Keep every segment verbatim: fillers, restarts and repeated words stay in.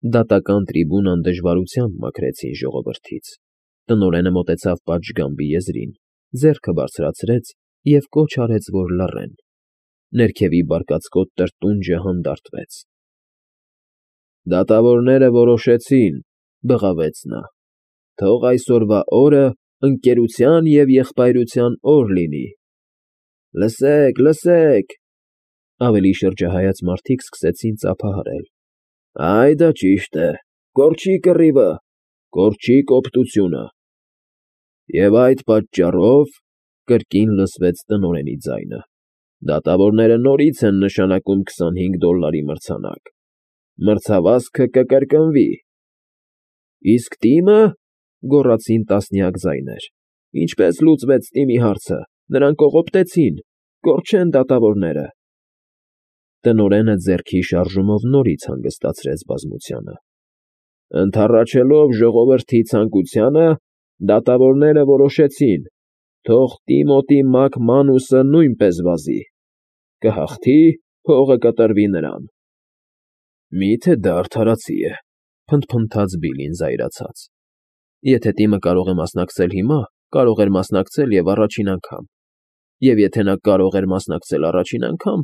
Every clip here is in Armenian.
Դատական տրիբունան դժվարությամբ մաքրեցին ժողովրդից, տնօրենը մոտեցավ պատշգամբի եզրին, ձեռքը բարձրացրեց և կոչ արեց, որ լռեն, ներքևի բարկացկոտ տրտունջը հանդարտվեց։ ֊ Դատավորները որոշեցին,֊ բղավեց նա,֊ թող այսօրվա օրը ընկերության և եղբայրության օր լինի։ ֊ Լսեք, լսեք,֊ ավելի շրջահայաց մարդիկ սկսեցին ծափահարել,֊ այ դա ճիշտ է, կորչի կռիվը, կորչի կոպտությունը… Եվ այդ պատճառով,֊ կրկին լսվեց տնօրենի ձայնը,֊ դատավորները նորից են նշանակում քսանհինգ դոլարի մրցանակ, մրցավազքը կկրկնվի։ ֊ Իսկ տիմը,֊ գոռացին տասնյակ ձայներ,֊ ինչպե՞ս լուծվեց տիմի հարցը, նրան կողոպտեցին, կորչեն դատավորները… Տնօրենը ձեռքի շարժումով նորից հանգստացրեց բազմությանը։ ֊ Ընդառաջելով ժողովրդի ցանկությանը, դատավորները որոշեցին, թող Տիմոթի Մակմանուսը նույնպես վազի, կհաղթի, փողը կտրվի նրան։ ֊ Մի՞թե դա արդարացի է,֊ փնթփնթաց Բիլլին զայրացած։֊ Եթե տիմը կարող է մասնակցել հիմա, կարող էր մասնակցել և առաջին անգամ, և եթե նա կարող էր մասնակցել առաջին անգամ,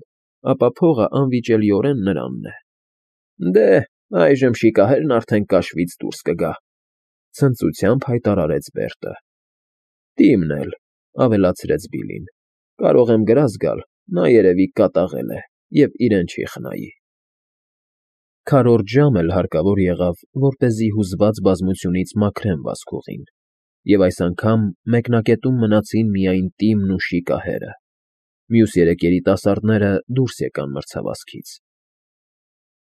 ապա փողը անվիճելիորեն նրանն է։ ֊ Դե, այժմ շիկահերն արդեն կաշվից դուրս կգա,֊ ցնծությամբ հայտարարեց Բերտը։ ֊ Տիմն էլ,֊ ավելացրեց Բիլլին,֊ կարող եմ գրազ գալ, նա երևի կատաղել է և իրեն չի խնայի։ Քառորդ ժամ էլ հարկավոր եղավ, որպեսզի հուզված բազմությունից մաքրեն վազքուղին, և այս անգամ մեկնակետում մնացին միայն Տիմն ու շիկահերը, մյուս երեք երիտասարդները դուրս եկան մրցավազքից։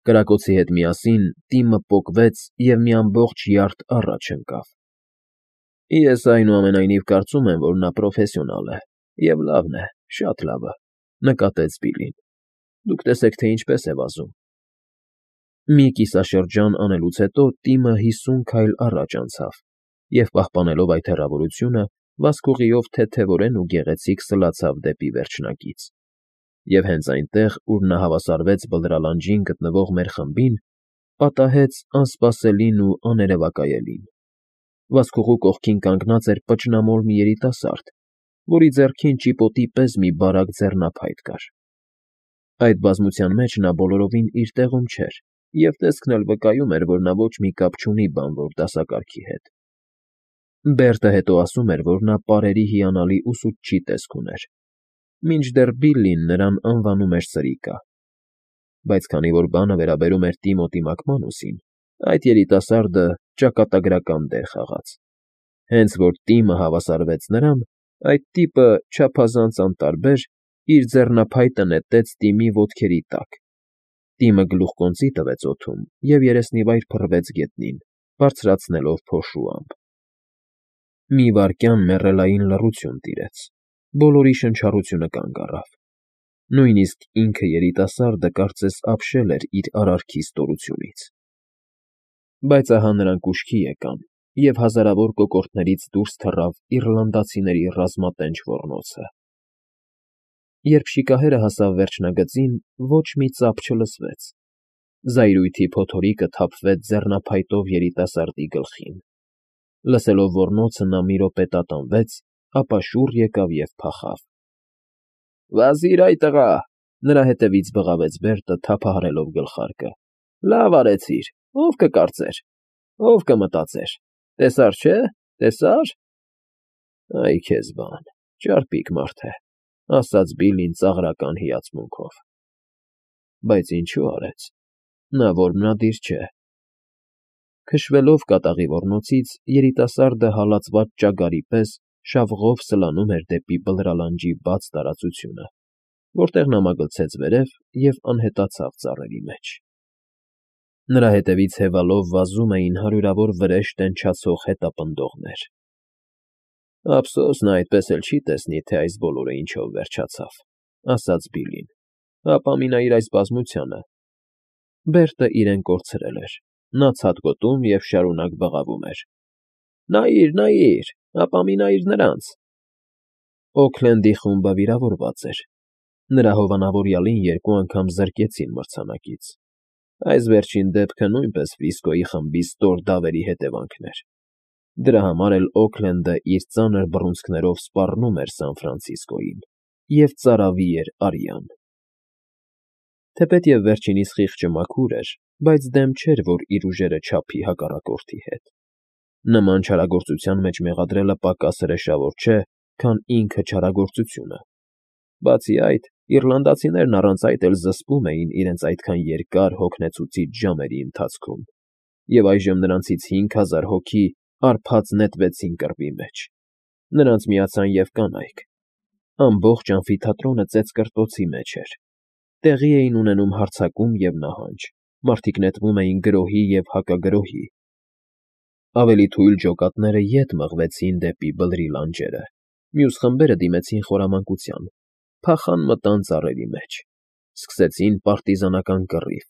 Կրակոցի հետ միասին Տիմը պոկվեց և մի ամբողջ յարդ առաջ ընկավ։ ֊ Ես, այնուամենայնիվ, կարծում եմ, որ նա պրոֆեսիոնալ է, և լավն է, շատ լավը,֊ նկատեց Բիլլին։ ֊ Դուք տեսեք, թե ինչպես է վազում։ Մի կիսաշրջան անելուց հետո Տիմը հիսուն քայլ առաջ անցավ և, պահպանելով այդ հեռավորությունը, վազքուղիով թեթևորեն ու գեղեցիկ սլացավ դեպի վերջնակից, և հենց այնտեղ, ուր նա հավասարվեց բլրալանջին գտնվող մեր խմբին, պատահեց անսպասելին ու աներևակայելին. վազքուղու կողքին կանգնած էր պճնամոլ մի երիտասարդ, որի ձեռքին ճիպոտի պես մի բարակ ձեռնափայտ կար։ Այդ բազմության մեջ նա բոլորովին իր տեղում չէր, և տեսքն էլ վկայում էր, որ նա ոչ մի կապ չունի բանվոր դասակարգի հետ։ Բերտը հետո ասում էր, որ նա պարերի հիանալի ուսուցչի տեսք ուներ, մինչդեռ Բիլլին նրան անվանում էր Սրիկա։ Բայց քանի որ բանը վերաբերում էր Տիմոթի Մակմանուսին, այդ երիտասարդը ճակատագրական դեր խաղաց։ Հենց որ Տիմը հավասարվեց նրան, այդ տիպը, չափազանց անտարբեր, իր ձեռնափայտը նետեց Տիմի ոտքերի տակ, Տիմը գլուխկոնծի տվեց օդում և երեսնիվայր փռվեց գետնին, բարձրացնելով փոշու ամպ։ Մի վայրկյան մեռելային լռություն տիրեց, բոլորի շնչառությունը կանգ առավ, նույնիսկ ինքը երիտասարդը կարծես ապշել էր իր արարքի ստորությունից։ Բայց ահա նրանք ուշքի եկան, և հազարավոր կոկորդներից դուրս թռավ իռլանդացիների ռազմատենչ ոռնոցը։ Երբ շիկահերը հասավ վերջնագծին, ոչ մի ծափ չլսվեց, զայրույթի փոթորիկը թափվեց ձեռնափայտով երիտասարդի գլխին։ Լսելով ոռնոցը, նա մի րոպե տատանվեց, ապա շուռ եկավ և փախավ։ ֊ Վազի՛ր, այ տղա,֊ նրա հետևից բղավեց Բերտը, թափահարելով գլխարկը,֊ լավ արեցիր, ով կկարծեր, ով կմտածեր, տեսար չէ, տեսա՞ր… Այ քեզ բան, ճարպիկ մարդ է,֊ ասաց Բիլլին ծաղրական հիացմունքով։ Բայց ինչու արեց, նա որմնադիր չէ։ Քշվելով կատաղի ոռնոցից, երիտասարդը հալածված ճագարի պես շավղով սլանում էր դեպի բլրալանջի բաց տարածությունը, որտեղ նա մագլցեց վերև և անհետացավ ծառերի մեջ։ Նրա հետևից հևալով վազում էին հարյուրավոր վրեժ տենչացող հետապնդողներ։ Ափսոս նա այդպես էլ չի տեսնի, թե այս բոլորը ինչով վերջացավ,֊ ասաց Բիլլին,֊ հապա մի նայիր այս բազմությանը… Բերտը իրեն կորցրել էր, նա ցատկոտում և շարունակ բղավում էր. Նայիր, նայիր, հապա մի նայիր նրանց… Օքլենդի խումբը վիրավորված էր, նրա հովանավորյալին երկու անգամ զրկեցին մրցանակից։ Այս վերջին դեպքը նույնպես Ֆրիսկոյի խմբի ստոր դավերի հետևանքն էր։ Դրա համար էլ Օքլենդը իր ծանր բռունցքներով սպառնում էր Սան Ֆրանցիսկոյին և ծարավի էր արյան։ Թեպետև վերջինիս խիղճը մաքուր էր, բայց դեմ չէր, որ իր ուժերը չափի հակառակորդի հետ։ Նման չարագործության մեջ մեղադրելը պակաս հրեշավոր չէ, քան ինքը չարագործությունը։ Բացի այդ, իռլանդացիներն առանց այդ էլ զսպում էին իրենց այդքան երկար հոգնեցուցիչ ժամերի ընթացքում, և այժմ նրանցից հինգ հազար հոգի արբած նետվեցին կռվի մեջ։ Նրանց միացան և կանայք։ Ամբողջ ամֆիթատրոնը ծեծկռտոցի մեջ էր։ Տեղի էին ունենում հարձակում և նահանջ, մարդիկ նետվում էին գրոհի և հակագրոհի։ Ավելի թույլ ջոկատները ետ մղվեցին դեպի բլրի լանջերը, մյուս խմբերը դիմեցին խորամանկության, փախան մտան ծառերի մեջ, սկսեցին պարտիզանական կռիվ,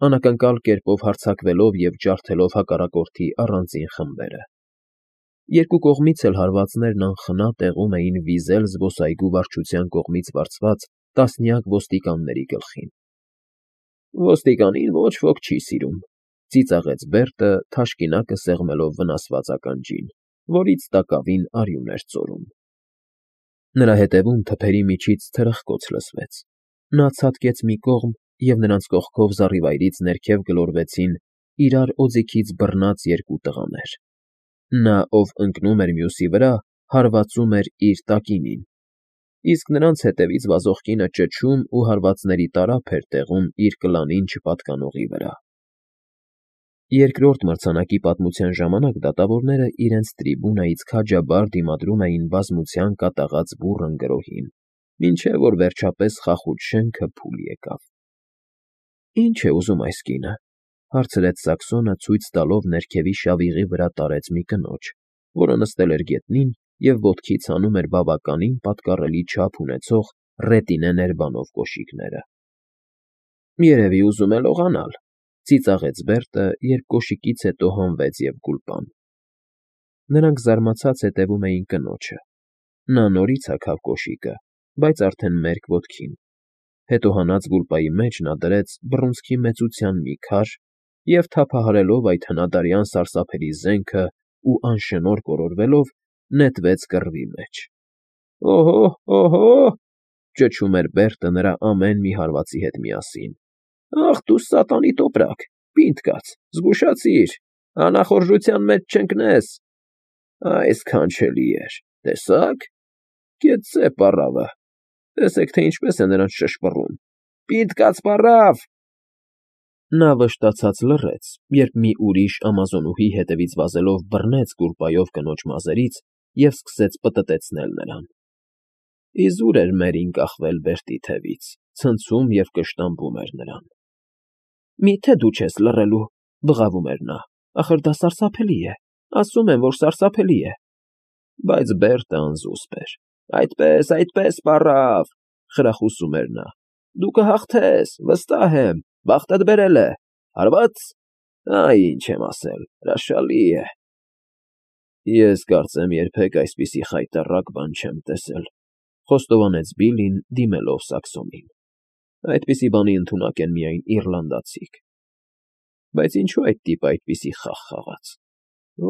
անակնկալ կերպով հարձակվելով և ջարդելով հակառակորդի առանձին խմբերը։ Երկու կողմից էլ հարվածներն անխնա տեղում էին վիզել զբոսայգու վարչության կողմից վարձված տասնյակ ոստիկանների գլխին։ Ոստիկանին ոչ ոք չի սիրում, ծիծաղեց Բերտը, թաշկինակը սեղմելով վնասված ականջին, որից տակավին արյուն էր ծորում։ Նրա հետևում թփերի միջից թրխկոց լսվեց։ Նա ցատկեց մի կողմ, և նրանց կողքով զառիվայրից ներքև գլորվեցին իրար օձիքից բռնած երկու տղաներ։ Նա, ով ընկնում էր մյուսի վրա, հարվածում էր իր տակինին, իսկ նրանց հետևից վազող կինը ճչում ու հարվածների տարափ էր տեղում իր կլանին չպատկանողի վրա։ Երկրորդ մրցանակի պատմության ժամանակ դատավորները իրենց տրիբունայից քաջաբար դիմադրում էին բազմության կատաղած բուռն գրոհին, մինչև որ վերջապես խախուճ շենքը փուլ եկավ։ ֊ Ի՞նչ է ուզում այս կինը,֊ հարցրեց Սաքսոնը, ցույց տալով ներքևի շավիղի վրա տարեց մի կնոջ, որը նստել էր գետնին և ոտքից հանում էր բավականին պատկառելի չափ ունեցող ռետինե ներբանող կոշիկները։ ֊ Երևի ուզում է լողանալ,֊ ծիծաղեց Բերտը, երբ կոշիկից հետո հանվեց և գուլպան։ Նրանք զարմացած հետևում էին կնոջը։ Նա նորից հագավ կոշիկը, բայց արդեն մերկ ոտքին։ Հետո հանած գուլպայի մեջ նա դրեց բռունցքի մեծության մի քար և, թափահարելով այդ հնադարյան սարսափելի զենքն ու անշնորհ կորորվելով, նետվեց կռվի մեջ։ ֊ Օհո՜, օհո՜,֊ ճչում էր Բերտը նրա ամեն մի հարվածի հետ միասին։ ֊ Ախ դու սատանի տոպրակ, պինդ կաց, զգուշացիր, անախորժության մեջ չընկնես… Ա՜յ սքանչելի էր, տեսա՞ք… Կեցցե պառավը, տեսեք, թե ինչպես է նրանց շշպռում… Պինդ կաց, պառավ… Նա վշտացած լռեց, երբ մի ուրիշ ամազոնուհի հետևից վազելով բռնեց գուլպայով կնոջ մազերից և սկսեց պտտեցնել նրան։ Իզուր էր Մերին կախվել Բերտի թևից, ցնցում և կշտամբում էր նրան։ ֊ Մի՞թե դու չես լռելու,֊ բղավում էր նա,֊ ախր դա սարսափելի է, ասում եմ, որ սարսափելի է… Բայց Բերտը անզուսպ էր։ ֊ Այդպես, այդպես, պառավ,֊ խրախուսում էր նա,֊ դու կհաղթես, վստահ եմ, բախտդ բերել է… Հարվա՞ծ… Այ ինչ եմ ասել, հրաշալի է… Ես կարծեմ երբեք այսպիսի խայտառակ բան չեմ տեսել,֊ խոստովանեց Բիլլին, դիմելով Սաքսոնին։ Այդպիսի բանի ընդունակ են միայն իռլանդացիք։ Բայց ինչո՞ւ այդ տիպը այդպիսի խաղ խաղաց…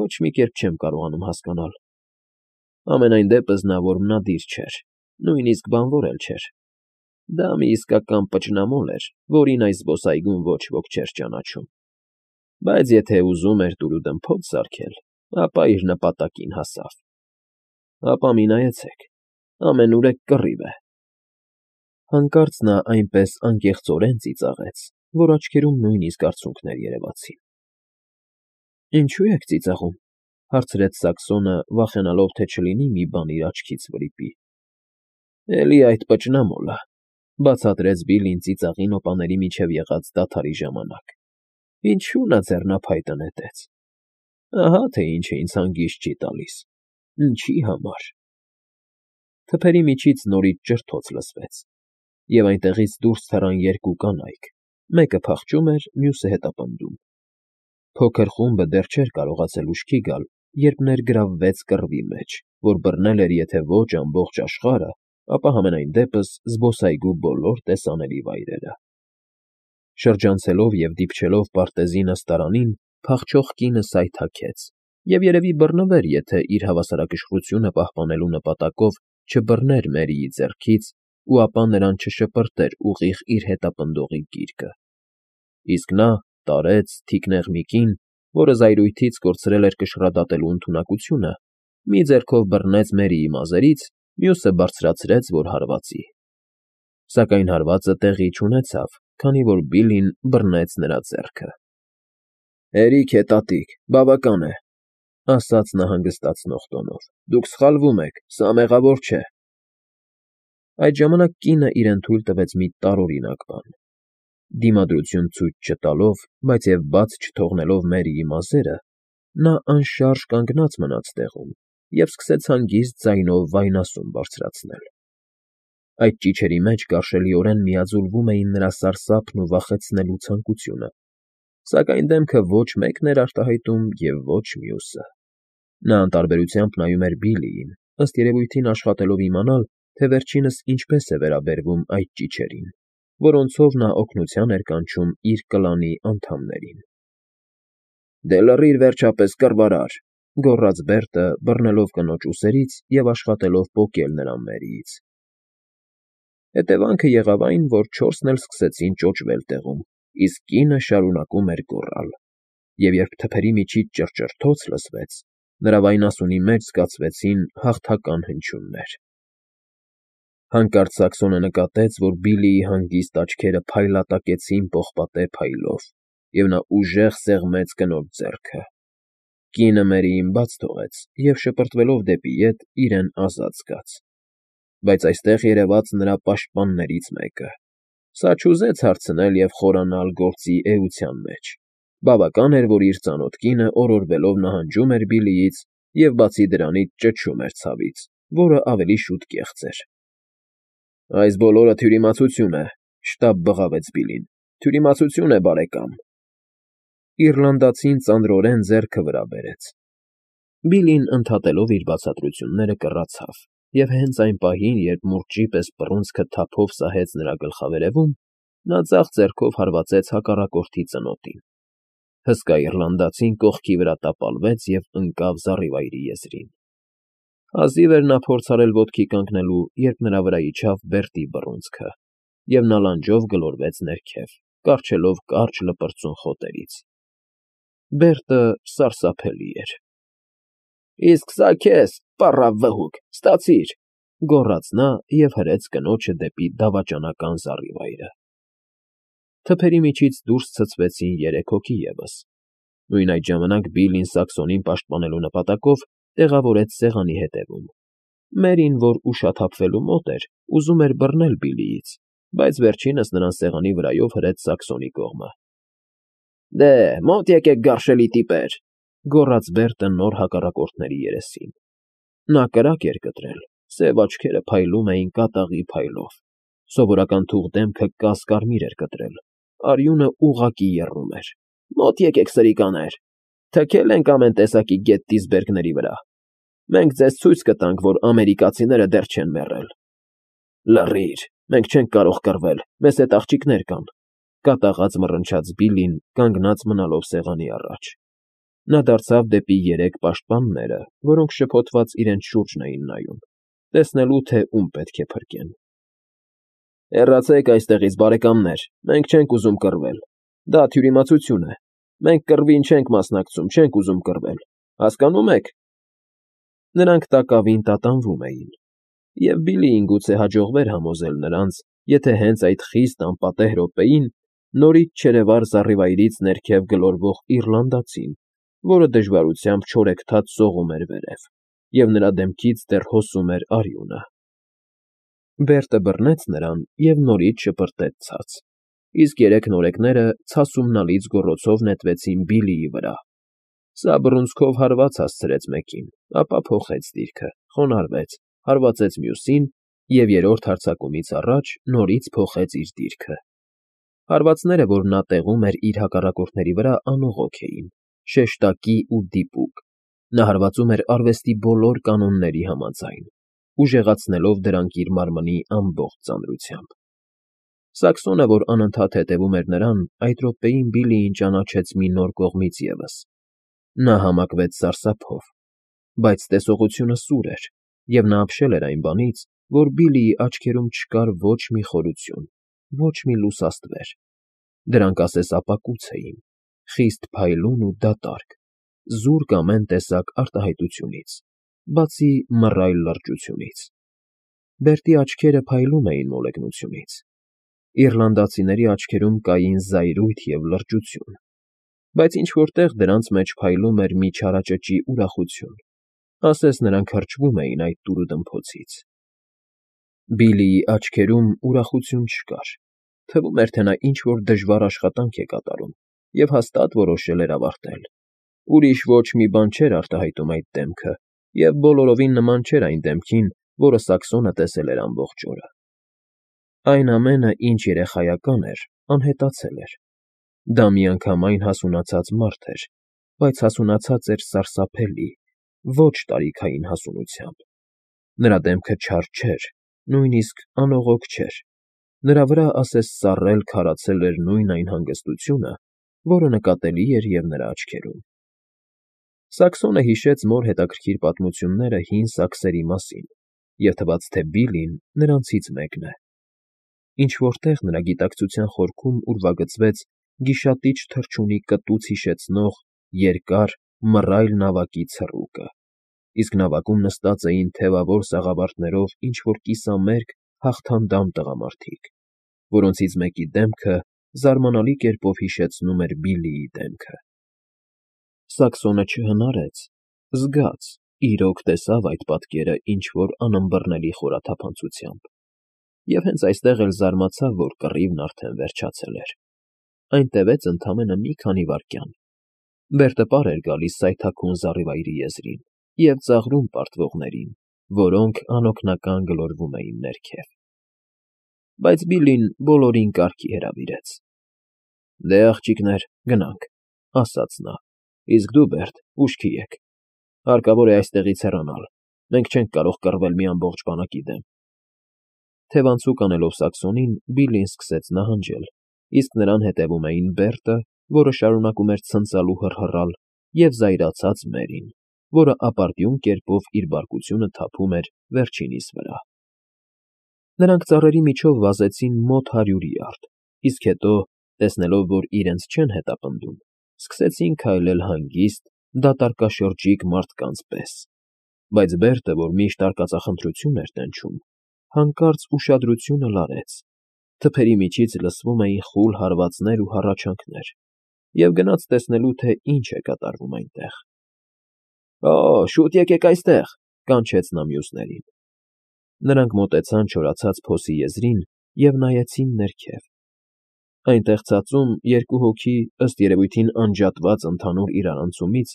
Ոչ մի կերպ չեմ կարողանում հասկանալ… Համենայն դեպս նա որմնադիր չէր, նույնիսկ բանվոր էլ չէր։ Դա մի իսկական պճնամոլ էր, որին այս զբոսայգում ոչ ոք չէր ճանաչում։ Բայց եթե ուզում էր տուրուդմփոց սարքել, ապա իր նպատակին հասավ։ Հապա մի նայեցեք… Ամենուրեք կռիվ է… Հանկարծ նա այնպես անկեղծորեն ծիծաղեց, որ աչքերում նույնիսկ արցունքներ երևացին։ ֊ Ինչո՞ւ եք ծիծաղում,֊ հարցրեց Սաքսոնը, վախենալով, թե չլինի մի բան իր աչքից վրիպի։ ֊ Էլի այդ պճնամոլը,֊ բացատրեց Բիլլին ծիծաղի նոպաների միջև եղած դադարի ժամանակ։ Ինչու նա ձեռնափայտը նետեց… Ահա թե ինչ է ինձ հանգիստ չի տալիս… Ինչի համար… Թփերի միջից նորից ճրթոց լսվեց, և այնտեղից դուրս թռան երկու կանայք, մեկը փախչում էր, մյուսը հետապնդում։ Փոքր խումբը դեռ չէր կարողացել ուշքի գալ, երբ ներգրավվեց կռվի մեջ, որ բռնել էր եթե ոչ ամբողջ աշխարհը, ապա համենայն դեպս զբոսայգու բոլոր տեսանելի վայրերը։ Շրջանցելով և դիպչելով պարտեզի նստարանին, փախչող կինը սայթաքեց և երևի բռնվեր, եթե իր հավասարակշռությունը պահպանելու նպատակով չբռներ Մերիի ձեռքից ու ապա նրան չշպրտեր ուղիղ իր հետապնդողի գիրկը, իսկ նա տարեց, թիկնեղ մի կին, որը զայրույթից կորցրել էր կշռադատելու ընդունակությունը, մի ձեռքով բռնեց Մերիի մազերից, մյուսը բարձրացրեց, որ հարվածի, սակայն հարվածը տեղի չունեցավ, քանի որ Բիլլին բռնեց նրա ձեռքը։ ֊ Հերիք է, տատիկ, բավական է,֊ ասաց նա հանգստացնող տոնով,֊ դուք սխալվում եք, սա մեղավոր չէ… Այդ ժամանակ կինը իրեն թույլ տվեց մի տարօրինակ բան. դիմադրություն ցույց չտալով, բայց և բաց չթողնելով Մերիի մազերը, նա անշարժ կանգնած մնաց տեղում և սկսեց հանգիստ ձայնով վայնասուն բարձրացնել… Այդ ճիչերի մեջ կարշելիորեն միաձուլվում էին նրա սարսափն ու վախեցնելու ցանկությունը, սակայն դեմքը ոչ մեկն էր արտահայտում և ոչ մյուսը… Նա անտարբերությամբ նայում էր Բիլլիին, ըստ երևույթին աշխատելով իմանալ, թե վերջինս ինչպես է վերաբերվում այդ ճիչերին, որոնցով նա օգնության էր կանչում իր կլանի անդամներին։ ֊ Դե լռիր, վերջապես, կռվարար,֊ գոռաց Բերտը, բռնելով կնոջ ուսերից և աշխատելով պոկել նրան Մերիից։ Հետևանքը եղավ այն, որ չորսն էլ սկսեցին ճոճվել տեղում, իսկ կինը շարունակում էր գոռալ, և երբ թփերի միջից ճռճռթոց լսվեց, նրա վայնասունի մեջ զգացվեցին հաղթական հնչյուններ… Հանկարծ Սակսոնը նկատեց, որ Բիլլիի հանգիստ աչքերը փայլատակեցին պողպատե փայլով, և նա ուժեղ սեղմեց կնոջ ձեռքը… Կինը Մերիին բաց թողեց և, շպրտվելով դեպի ետ, իրեն ազատ զգաց… Բայց այստեղ երևաց նրա պաշտպաններից մեկը… Սա չուզեց հարցնել և խորանալ գործի էության մեջ… Բավական էր, որ իր ծանոթ կինը օրորվելով նահանջում էր Բիլլիից և, բացի դրանից, ճչում էր ցավից, որը ավելի շուտ կեղծ էր… ֊ Այս բոլորը թյուրիմացություն է,֊ շտապ բղավեց Բիլլին,֊ թյուրիմացություն է, բարեկամ… Իռլանդացին ծանրորեն ձեռքը վրա բերեց… Բիլլին, ընդհատելով իր բացատրությունները, կռացավ և հենց այն պահին, երբ մուրճի պես բռունցքը թափով սահեց նրա գլխավերևում, նա ձախ ձեռքով հարվածեց հակառակորդի ծնոտին… Հսկա իռլանդացին կողքի վրա տապալվեց և ընկավ զառիվայրի եզրին… Հազիվ էր նա փորձ արել ոտքի կանգնելու, երբ նրա վրա իջավ Բերտի բռունցքը, և նա լանջով գլորվեց ներքև, կառչելով կարճ լպրծուն խոտերից… Բերտը սարսափելի էր… ֊ Իսկ սա քեզ, պառավ վհուկ, ստացիր,֊ գոռաց նա և հրեց կնոջը դեպի դավաճանական զառիվայրը… Թփերի միջից դուրս ցցվեցին երեք հոգի ևս… Նույն այդ ժամանակ Բիլլին Սակսոնին պաշտպանելու նպատակով տեղավորեց սեղանի ետևում… Մերին, որ ուշաթափվելու մոտ էր, ուզում էր բռնել Բիլլիից, բայց վերջինս նրան սեղանի վրայով հրեց Սակսոնի կողմը։ ֊ Դե, մոտ եկեք, գարշելի տիպեր,֊ գոռաց Բերտը նոր հակառակորդների երեսին… Նա կրակ էր կտրել, սև աչքերը փայլում էին կատաղի փայլով, սովորական թուղ դեմքը կաս֊կարմիր էր կտրել, արյունը ուղղակի եռում էր։ ֊ Մոտ եկեք, սրիկաներ, թքել ենք ամեն տեսակի գեթտիսբերգների վրա… Մենք ձեզ ցույց կտանք, որ ամերիկացիները դեռ չեն մեռել… ֊ Լռիր, մենք չենք կարող կռվել, մեզ հետ աղջիկներ կան,֊ կատաղած մռնչաց Բիլլին, կանգնած մնալով սեղանի առաջ… Նա դարձավ դեպի երեք պաշտպանները, որոնք շփոթված իրենց շուրջն էին նայում, տեսնելու, թե ում պետք է փրկեն։ ֊ Հեռացեք այստեղից, բարեկամներ, մենք չենք ուզում կռվել… Դա թյուրիմացություն է… Մենք կռվին չենք մասնակցում, չենք ուզում կռվել… Հասկանո՞ւմ եք… Նրանք տակավին տատանվում էին, և Բիլլիին գուցե հաջողվեր համոզել նրանց, եթե հենց այդ խիստ անպատեհ րոպեին նորից չերևար զառիվայրից ներքև գլորվող իռլանդացին, որը դժվարությամբ չորեքթաթ սողում էր վերև, և նրա դեմքից դեռ հոսում էր արյունը… Բերտը բռնեց նրան և նորից շպրտեց ցած, իսկ երեք նորեկները ցասումնալից գոռոցով նետվեցին Բիլլիի վրա… Սա բռունցքով հարված հասցրեց մեկին, ապա փոխեց դիրքը, խոնարհվեց, հարվածեց մյուսին և երրորդ հարձակումից առաջ նորից փոխեց իր դիրքը… Հարվածները, որ նա տեղում էր իր հակառակորդների վրա, անողոք էին, շեշտակի ու դիպուկ… Նա հարվածում էր արվեստի բոլոր կանոնների համաձայն, ուժեղացնելով դրանք իր մարմնի ամբողջ ծանրությամբ… Սաքսոնը, որ անընդհատ հետևում էր նրան, այդ րոպեին Բիլլիին ճանաչեց մի նոր կողմից ևս. նա համակվեց սարսափով, բայց տեսողությունը սուր էր, և նա ապշել էր այն բանից, որ Բիլլիի աչքերում չկար ոչ մի խորություն, ոչ մի լուսաստվեր. դրանք ասես ապակուց էին, խիստ փայլուն ու դատարկ, զուրկ ամեն տեսակ արտահայտությունից, բացի մռայլ լրջությունից. Բերտի աչքերը փայլում էին մոլեգնությունից, իռլանդացիների աչքերում կային զայրույթ և լրջություն, բայց ինչ֊որ տեղ դրանց մեջ փայլում էր մի չարաճճի ուրախություն, ասես նրանք հրճվում էին այդ տուրուդմփոցից. Բիլլիի աչքերում ուրախություն չկար, թվում էր, թե նա ինչ֊որ դժվար աշխատանք է կատարում և հաստատ որոշել էր ավարտել, ուրիշ ոչ մի բան չէր արտահայտում այդ դեմքը և բոլորովին նման չէր այն դեմքին, որը Սաքսոնը տեսել էր ամբողջ օրը. այն ամենը, ինչ երեխայական էր, անհետացել էր, դա միանգամայն հասունացած մարդ էր, բայց հասունացած էր սարսափելի, ոչ տարիքային հասունությամբ, նրա դեմքը չար չէր, նույնիսկ անողոք չէր, նրա վրա ասես սառել քարացել էր նույն այն հանգստությունը, որը նկատելի էր և նրա աչքերում։ Սաքսոնը հիշեց մոր հետաքրքիր պատմությունները հին սաքսերի մասին և թվաց, թե Բիլլին նրանցից մեկն է։ Ինչ֊որ տեղ նրա գիտակցության խորքում ուրվագծվեց գիշատիչ թռչունի կտուց հիշեցնող երկար, մռայլ նավակի ցռուկը, իսկ նավակում նստած էին թևավոր սաղավարտներով ինչ֊որ կիսամերկ, հաղթանդամ տղամարդիկ, որոնցից մեկի դեմքը զարմանալի կերպով հիշեցնում էր Բիլլիի դեմքը։ Սաքսոնը չհնարեց, զգաց, իրոք տեսավ այդ պատկերը ինչ֊որ անըմբռնելի խորաթափանցությամբ, և հենց այստեղ էլ զարմացավ, որ կռիվն արդեն վերջացել էր. այն տևեց ընդամենը մի քանի վայրկյան, Բերտը պար էր գալիս սայթաքուն զառիվայրի եզրին և ծաղրում պարտվողներին, որոնք անօգնական գլորվում էին ներքև։ Բայց Բիլլին բոլորին կարգի հրավիրեց. «Դե, աղջիկներ, գնանք», ֊ ասաց նա, «իսկ դու, Բերտ, ուշքի եք, հարկավոր է այստեղից հեռանալ, մենք չենք կարող կռվել մի ամբողջ բանակի դեմ»։ Թևանցուկ անելով Սաքսոնին, Բիլլին սկսեց նահանջել, իսկ նրան հետևում էին Բերտը, որը շարունակում էր ցնծալ ու հռհռալ, և զայրացած Մերին, որը ապարդյուն կերպով իր բարկությունը թափում էր վերջինիս վրա։ Նրանք ծառերի միջով վազեցին մոտ հարյուր յարդ, իսկ հետո, տեսնելով, որ իրենց չեն հետապնդում, սկսեցին քայլել հանգիստ, դատարկաշրջիկ մարդկանց պես, բայց Բերտը, որ միշտ արկածախնդրություն էր տենչում, հանկարծ ուշադրությունը լարեց, թփերի միջից լսվում էին խուլ հարվածներ ու հառաչանքներ, և գնաց տեսնելու, թե ինչ է կատարվում այնտեղ։ ֊ Օ՜, շուտ եկեք այստեղ, ֊ կանչեց նա մյուսներին։ Նրանք մոտեցան չորացած փոսի եզրին և նայեցին ներքև։ Այնտեղ ցածում երկու հոգի, ըստ երևույթին անջատված ընդհանուր իրարանցումից,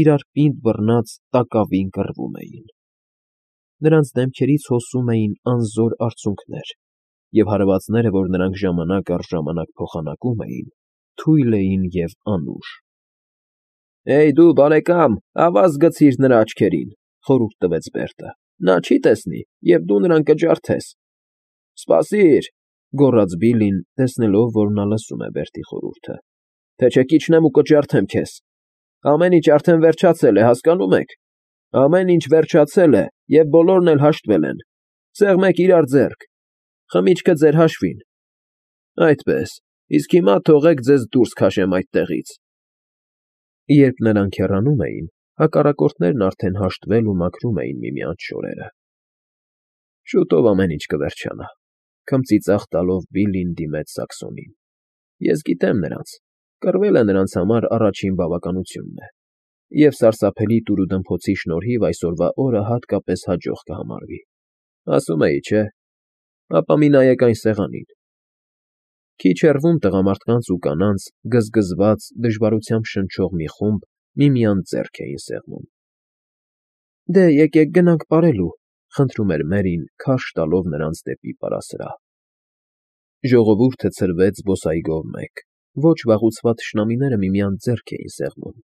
իրար պինդ բռնած տակավին կռվում էին։ Նրանց դեմքերից հոսում էին անզոր արցունքներ, և հարվածները, որ նրանք ժամանակ առ ժամանակ փոխանակում էին, թույլ էին և անուշ։ ֊ Հեյ, դու, բարեկամ, ավազ գցիր նրա աչքերին, ֊ խորհուրդ տվեց Բերտը, ֊ նա չի տեսնի, և դու նրան կջարդես։ ֊ Սպասիր, ֊ գոռաց Բիլլին, տեսնելով, որ նա լսում է Բերտի խորհուրդը, ֊ թե չէ կիջնեմ ու կջարդեմ քեզ։ Ամեն ինչ արդեն վերջացել է, հասկանո՞ւմ եք։ Ամեն ինչ վերջացել է, և բոլորն էլ հաշտվել են, սեղմեք իրար ձեռք, խմիչքը ձեր հաշվին։ Այդպես, իսկ հիմա թողեք ձեզ դուրս քաշեմ այդտեղից։ Երբ նրանք հեռանում էին, հակառակորդներն արդեն հաշտվել ու մաքրում էին միմյանց շորերը։ Շուտով ամեն ինչ կվերջանա, ֊ քմծիծաղ տալով Բիլլին դիմեց Սաքսոնին։ Ես գիտեմ նրանց, կռվելը նրանց համար առաջին բավականությունն է, և սարսափելի տուրուդմփոցի շնորհիվ այսօրվա օրը հատկապես հաջող կհամարվի։ Ասում էի, չէ՞։ Ապա մի նայեք այն սեղանին։ Քիչ հեռվում տղամարդկանց ու կանանց գզգզված, դժվարությամբ շնչող մի խումբ միմյանց ձեռք էին սեղմում։ ֊ Դե, եկեք գնանք պարելու, ֊ խնդրում էր Մերին, քարշ տալով նրանց դեպի պարասրահ։ Ժողովուրդը ցրվեց զբոսայգով մեկ, ոչ վաղուցված թշնամիները միմյանց ձեռք էին սեղմում,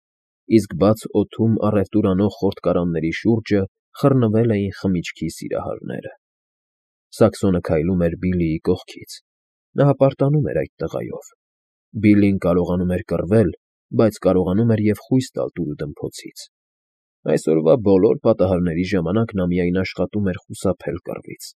իսկ բաց օդում առևտուր անող խորտկարանների շուրջը խռնվել էին խմիչքի սիրահարները։ Սաքսոնը քայլում էր Բիլլիի կողքից։ Նա հպարտանում էր այդ տղայով։ Բիլլին կարողանում էր կռվել, բայց կարողանում էր և խույս տալ տուլդմփոցից։ Այսօրվա բոլոր պատահարների ժամանակ նա միայն աշխատում էր խուսափել կռվից,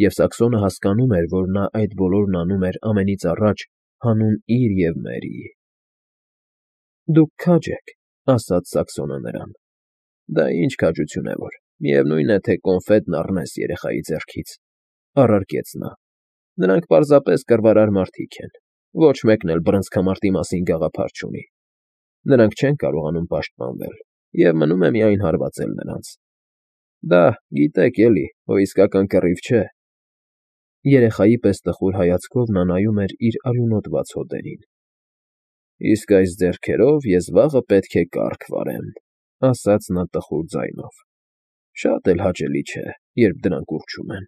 և Սակսոնը հասկանում էր, որ նա այդ բոլորն անում էր ամենից առաջ հանուն իր և Մերիի։ ֊ Դուք քաջ եք,֊ ասաց Սակսոնը նրան։ ֊ Դա ինչ քաջություն է որ, միևնույն է, թե կոնֆետն առնես երեխայի ձեռքից,֊ առարկեց նա։֊ Նրանք պարզապես կռվարար մարդիկ են, ոչ մեկն էլ բռնցքամարտի մասին գաղափար չունի։ Նրանք չեն կարողանում պաշտպանվել, և մնում է միայն հարվածել նրանց։ Դա, գիտեք էլի, հո իսկական կռիվ չէ։ Երեխայի պես տխուր հայացքով նա նայում էր իր արյունոտված հոտերին։ ֊ Իսկ այս ձեռքերով ես վաղը պետք է կառք վարեմ,֊ ասաց նա տխուր ձայնով։ Շատ էլ հաճելի չէ, երբ դրանք ուռչում են։